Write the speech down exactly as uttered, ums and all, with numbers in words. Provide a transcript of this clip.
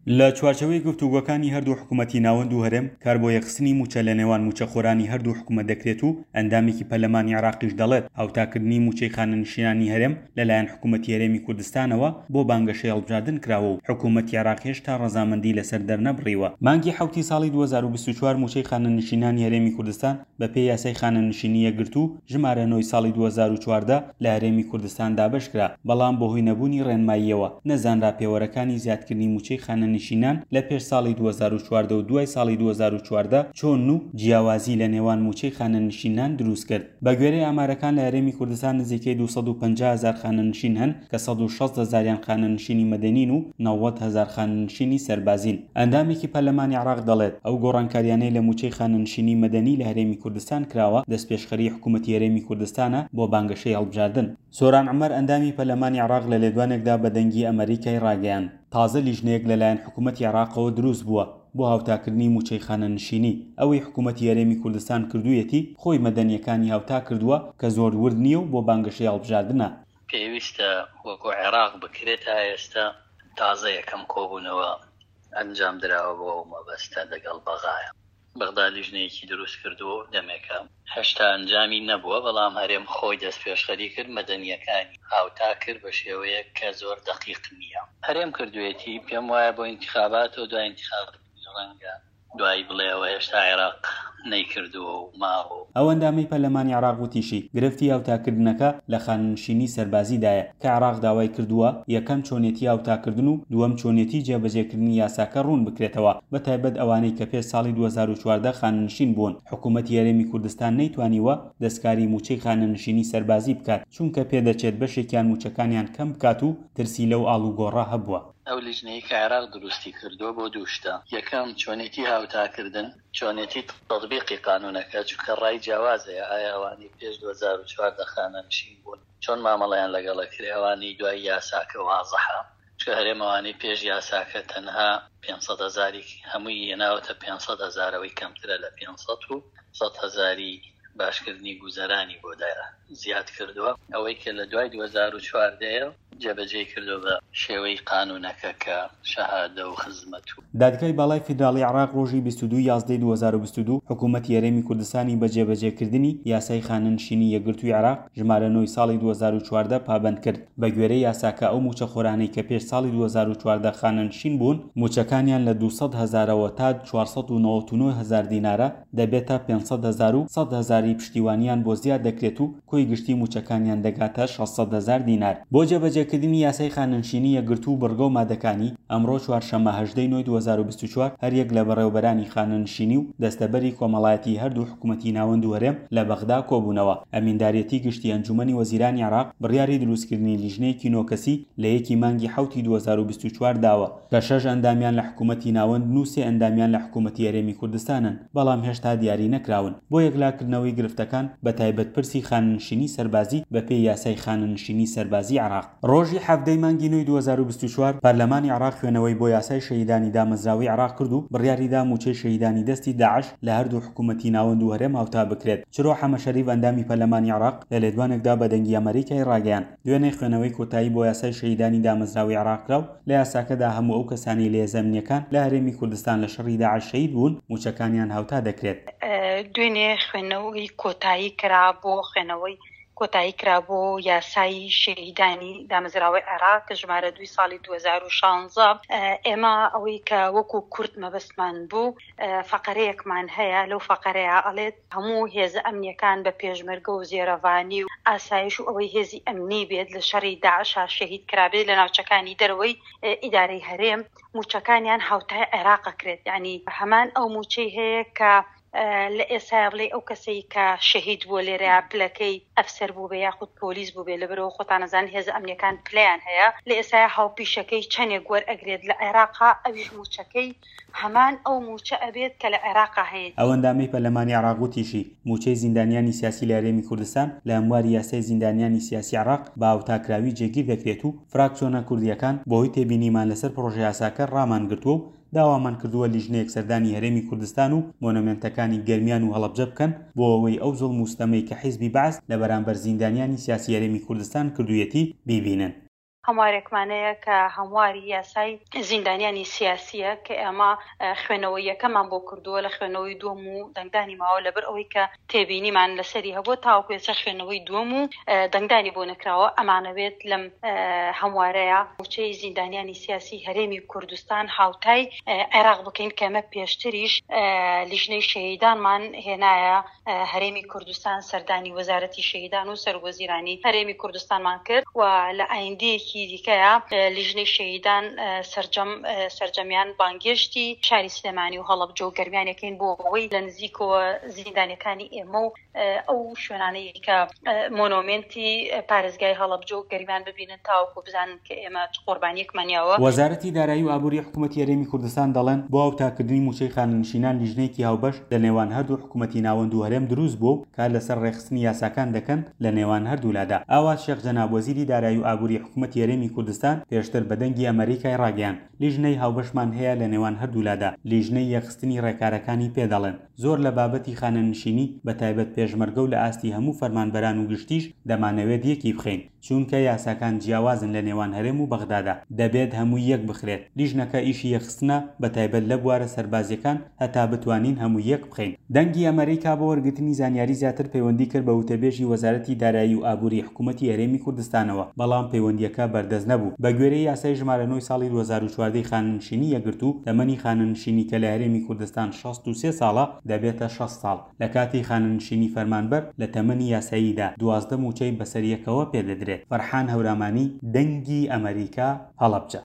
لە چوارچێوەی گفتوگۆکانی هەردوو حکوومەتی ناوەند و هەرێم کار بۆ یەکخستنی مووچە لە نێوان مووچەخۆرانی هەردوو حکوومەت دەکرێت و ئەندامێکی پەرلەمانی عێراقیش دەڵێت هاوتاکردنی مووچەی خانەنشینانی هەرێم لەلایەن حکوومەتی هەرێمی کوردستانەوە بۆ بانگەشەی هەڵبژاردن کراوە و حکوومەتی عێراق هێشتا ڕەزامەندی لەسەر دەرنەبڕیوە. مانگی حەوتی ساڵی دوو هەزار و بیست و چوار مووچەی خانەنشینانی هەرێمی کوردستان بەپێی یاسای خانەنشینی یەکگرتوو ژمارە نۆی ساڵی دوو هەزار و چواردە لە هەرێمی کوردستان دابەشکرا، بەڵام بەهۆی نەبوونی ڕێنماییەوە نەزانرا پێوەرەکانی زیادکردنی مووچەی خانەنشینان لە پێش ساڵی دوو هەزار و چواردە و دوای ساڵی دوو هەزار و چواردە چۆن و جیاوازی لە نێوان مووچەی خانەنشینان دروست کرد. بە گوێرەی ئامارەکان لە هەرێمی کوردستان نزیکەی دوو سەد و پەنجا هەزار خانەنشین هەن کە سەد و شەست هەزاریان خانەنشینی مەدەنین و نەوەد هەزار خانەنشینی سەربازین. ئەندامێکی پەرلەمانی عێراق دەڵێت ئەو گۆڕانکاریانەی لە مووچەی خانەنشینی مەدەنی لە هەرێمی کوردستان کراوە دەستپێشخەری حکوومەتی هەرێمی کوردستانە بۆ بانگەشەی هەڵبژاردن. سۆران عومەر ئەندامی پەرلەمانی عێراق لە لێدوانێکدا بە دەنگی ئەمریکای ڕاگەیاند تازە لیژنەیەک لەلایەن حکوومەتی عێراقەوە دروست بووە بۆ هاوتاکردنی مووچەی خانەنشینی. ئەوەی حکوومەتی هەرێمی کوردستان کردوویەتی خۆی مەدەنیەکانی هاوتا کردووە کە زۆر ورد نییە و بۆ بانگەشەی هەڵبژاردنە. پێویستە وەکو عێراق بکرێت تا ئێستا تازە یەکەم کۆبوونەوە ئەنجام دراوە بۆ ئەو مەبەستە لەگەڵ بەغایە. بەغدا لیژنەیەکی دروست کردووە و دەمێکە هێشتا ئەنجامی نەبووە، بەڵام هەرێم خۆی دەستپێشخەری کرد، مەدەنیەکانی هاوتا کرد بە شێوەیەک کە زۆر دەقیق نییە. هەرێم کردوێتی، پێم وایە بۆ ئینتخابات و دوای ئینتخابات ڕەنگە دوایی بڵێەوە هێشتا عێراق نەیکردووە و ماوە. ئەو ئەندامەی پەرلەمانی عێراق وتیشی گرفتی هاوتاکردنەکە لە خانەنشینی سەربازیدایە کە عێراق داوای کردووە یەکەم چۆنێتی هاوتاکردن و دووەم چۆنێتی جێبەجێکردنی یاساکە ڕوون بکرێتەوە، بە تایبەت ئەوانەی کە پێش ساڵی دوو هەزار و چواردە خانەنشین بوون. حکوومەتی هەرێمی کوردستان نەیتوانیوە دەستکاری مووچەی خانەنشینی سەربازی بکات، چونکە پێدەچێت بەشێکیان مووچەکانیان کەم بکات و ترسی لەو ئاڵوگۆڕە هەبووە. ئەو لیژنەی کە عێراق دروستی کردووە بۆ دوو شتە، یەکەم چۆنێتی هاوتاکردن، چۆنێتی تەطبیقی قانونەکە، چونکە ڕای جیاوازەیە ئایا ئەوانەی پێش دوو هەزار و چواردە خانەنشین بوون چۆن مامەڵەیان لەگەڵە کرێ، ئەوانەی دوای یاساکە وازحە، چونکە هەرێم ئەوانەی پێش یاساکە تەنها پێنج سەد هەزاری هەمووی هێناوەتە پێنج سەد هەزارەوەی کەمترە لە پێنج سەد و سەد هەزاری باشکردنی گوزەرانی بۆ زیاد کردووە. ئەوەی کە لە دوای دوو هەزار و چواردەیە جێبەجێی کردووە بە شێوەی قانونەکە کە شەهادە و خزمەت و دادگای باڵای فیدراڵی عێراق ڕۆژی بیست و دوو یازدەی دوو هەزار و بیست و دوو حکوومەتی هەرێمی کوردستانی بە جێبەجێکردنی یاسای خانەنشینی یەکگرتووی عێراق ژمارە نۆی ساڵی دوو هەزار و چواردە پابەند کرد. بە گوێرەی یاساکە ئەو مووچەخۆرانەی کە پێش ساڵی دوو هەزار و چواردە خانەنشین بوون مووچەکانیان لە دوو سەد هەزارەوە تا چوار سەد و نەوەد و نۆ هەزار دینارە دەبێتە پێنج سەد هەزار و سەد هەزاری پشتیوانیان بۆ زیاد دەکرێت و کۆی گشتی مووچەکانیان دەگاتە شەش سەد هەزار دینار. بۆ جێبەجێکردنی یاسای خانەنشینی یەکگرتوو و بڕگە و مادەکانی ئەمڕۆ چوارشەممە هەژدەی نۆی دوو هەزار و بیست و چوار هەریەک لە بەڕێوەبەرانی خانەنشینی و دەستەبەری کۆمەڵایەتی هەردوو حکوومەتی ناوەند و هەرێم لە بەغدا کۆبوونەوە. ئەمینداریەتی گشتی ئەنجومەنی وەزیرانی عێراق بڕیاری دروستکردنی لیژنەیەکی نۆکەسی لە یەکی مانگی حەوتی دوو هەزار و بیست و چوار داوە کە شەش ئەندامیان لە حکوومەتی ناوەند و سێ ئەندامیان لە حکوومەتی هەرێمی کوردستانن، بەڵام هێشتا دیاری نەکراون. بۆ یەکلاکردنەوەی گرفتەکان بە تایبەت پرسی خانەنشینی سەربازی بەپێی یاسای خانەنشینی سەربازی عێراق. ڕۆژی حەڤدەی مانگی نۆی دوو هەزار و بیست و چوار پەرلەمانی عێراق خوێنەوەی بۆ یاسای شەهیدانی دامەزراوەی عێراق کرد و بڕیاریدا مووچەی شەهیدانی دەستی داعش لە هەردوو حکوومەتی ناوەند و هەرێم هاوتا بکرێت. چرۆ حەمە شەریف ئەندامی پەرلەمانی عێراق لە لێدوانێکدا بە دەنگی ئەمریکای ڕاگەیاند دوێنێ خوێنەوەی کۆتایی بۆ یاسای شەهیدانی دامەزراوەی عێراق کرا و لە یاساکەدا هەموو ئەو کەسانەی لە هێزە ئەمنیەکان لە هەرێمی کوردستان لە شەڕی داعش شەهید بوون مووچەکانیان هاوتا دەکرێت. دوێنێ خوێندنەوەی کۆتایی کرا بۆ خوێنەوەی کۆتایی کرا بۆ یاسای شەهیدانی دامەزراوەی عێراق کە ژمارە دووی ساڵی دوو هەزار و شانزە. ئێمە ئەوەی کە وەکو کورد مەبەستمان بوو فەقەرەیەکمان هەیە، لەو فەقەرەیە ئەڵێت هەموو هێزە ئەمنیەکان بە پێشمەرگە و زێرەڤانی و ئاسایش و ئەوەی هێزی ئەمنی بێت لە شەڕی داعشا شەهید کرابێت لە ناوچەکانی دەرەوەی ئیدارەی هەرێم مووچەکانیان هاوتای عێراق کرێت. یعنی هەمان ئەو مووچەی هەیە کە لە ئێستا بڵێ ئەو کەسەی کە شەهید بووە لێرەیە پلەکەی ئەفسەر بوو بێ یاخود پۆلیس بوو بێ، لەبەرەوە خۆتانەزان هێزە ئەمنیەکان پلەیان هەیە، لە ئێستا هاوپیشەکەی چەندێک وەرئەگرێت لە عێراقا ئەویش مووچەکەی هەمان ئەو مووچە ئەبێت کە لە عێراقا هەیە. ئەو ئەندامەی پەرلەمانی عێراق وتیشی مووچەی زیندانیانی سیاسی لە هەرێمی کوردستان لە هەمواری یاسای زیندانیانی سیاسی عێراق بە هاوتاکراوی جێگیر دەکرێت و فراکسیۆنە کوردیەکان بەهۆی تێبینیمان لەسەر پرۆژە یاساکە ڕامان گرتووە و داوامان کردووە لیژنەیەک سەردانی هەرێمی کوردستان و مۆنۆمێنتەکانی گەرمیان و هەڵەبجە بکەن بۆ ئەوەی ئەو زوڵم و ستەمەی کە حیزبی بەعس لە بەرامبەر زیندانیانی سیاسی هەرێمی کوردستان کردوویەتی بیبینن. هەموارێکمان هەیە کە هەمواری یاسای زیندانیانی سیاسییە کە ئێمە خوێندنەوەی یەکەمان بۆ کردووە، لە خوێندنەوەی دووەم و دەنگدانی ماوە، لەبەر ئەوەی کە تێبینیمان لەسەری هەبووە تاوەکو ئێستا خوێندنەوەی دووەم و دەنگدانی بۆ نەکراوە. ئەمانەوێت لەم هەموارەیە مووچەی زیندانیانی سیاسی هەرێمی کوردستان هاوتای عێراق بکەین کە ئەمە پێشتریش لیژنەی شەهیدانمان هێنایە هەرێمی کوردستان، سەردانی وەزارەتی شەهیدان و سەرۆک وەزیرانی هەرێمی کوردستانمان کرد و لە ئایندەیەکی دیکەیە لیژنەی شەهیدان سەرجەم سەرجەمیان بانگێشتی شاری سلێمانی و هەڵەبجە و گەرمیانەکەین بۆ ئەوەی لە نزیکەوە زیندانیەکانی ئێمە و ئەو شوێنانەی کە مۆنۆمێنتی پارێزگای هەڵەبجە و گەرمیان ببینن تاوەکو بزانن کە ئێمە چ قوربانیەکمان یاوە. وەزارەتی دارایی و ئابووری حکوومەتی هەرێمی کوردستان دەڵێن بۆ هاوتاکردنی مووچەی خانەنشینان لیژنەیەکی هاوبەش لە نێوان هەردوو حکوومەتی ناوەند و هەرێم دروست بووە و کار لەسەر ڕێکخستنی یاساکان دەکەن لە نێوان هەردوولادا. ئاوات شێخ جەناب وەزیری دارایی و ئابووری حکوومەتی هەرێمی کوردستان پێشتر بە دەنگی ئەمەریکای ڕاگەیاند لیژنەی هاوبەشمان هەیە لە نێوان هەردوولادا، لیژنەی یەکخستنی ڕێکارەکانی پێدەڵێن. زۆر لە بابەتی خانەنشینی بە تایبەت پێشمەرگە و لە ئاستی هەموو فەرمانبەران و گشتیش دەمانەوێت یەکی بخەین، چونکە یاساکان جیاوازن لە نێوان هەرێم و بەغدادا، دەبێت هەمووی یەک بخرێت. لیژنەکە ئیشی یەکخستنە بە تایبەت لە بوارە سەربازیەکان هەتا بتوانین هەمووی یەک بخەین. دەنگی ئەمەریکا بۆ وەرگرتنی زانیاری زیاتر پەیوەندی کرد بە وتەبێژی وەزارەتی دارایی و ئابووری حکوومەتی هەرێمی کوردستانەوە، بەڵام پەیوەندیەکە بەردەست نەبوو. بە گوێرەی یاسای ژمارە نۆی ساڵی دوو هەزار و چواردە خانەنشینی یەکگرتوو، تەمەنی خانەنشینی کە لە هەرێمی کوردستان شەست و سێ ساڵە دەبێتە شەست ساڵ. لە کاتی خانەنشینی فەرمانبەر لە تەمەنی یاساییدا دوازدە مووچەی بەسەر یەکەوە پێدەدرێت. فەرحان هەورامانی، دەنگی ئەمەریکا، هەڵەبجە.